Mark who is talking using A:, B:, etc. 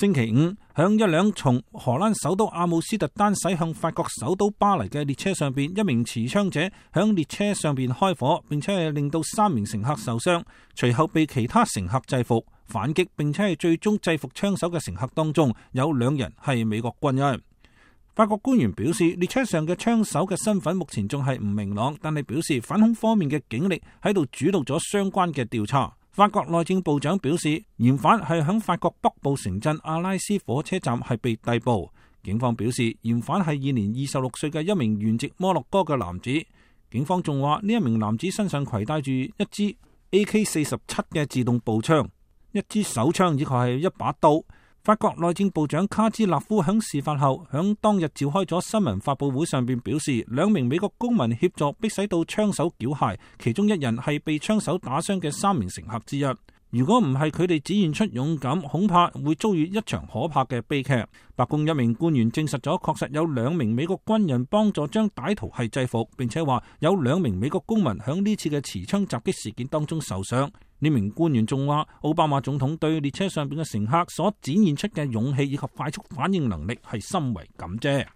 A: 星期五，響一輛從荷蘭首都阿姆斯特丹駛向法國首都巴黎嘅列車上邊，一名持槍者響列車上邊開火，並且係令到3名乘客受傷，隨後被其他乘客制服反擊，並且係最終制服槍手嘅乘客當中有2人係美國軍人。法國官員表示，列車上嘅槍手嘅身份目前仲係唔明朗，但係表示反恐方面嘅警力喺度主導咗相關嘅調查。法國內政部長表示，嫌犯係響法國北部城鎮阿拉斯火車站係被逮捕。警方表示，嫌犯係現年26歲嘅一名原籍摩洛哥嘅男子。警方仲話，呢一名男子身上攜帶住一支 AK-47嘅自動步槍、一支手槍以及係一把刀。法國內政部長卡茲納夫響事發後響當日召開咗新聞發佈會上邊表示，2名美國公民協助逼使到槍手繳械，其中1人係被槍手打傷嘅3名乘客之一。如果唔係佢哋展現出勇敢，恐怕會遭遇一場可怕嘅悲劇。白宮一名官員證實咗，確實有2名美國軍人幫助將歹徒係制服，並且話有2名美國公民響呢次嘅持槍襲擊事件當中受傷。呢名官員仲話，奧巴馬總統對列車上邊嘅乘客所展現出嘅勇氣以及快速反應能力係深為感謝。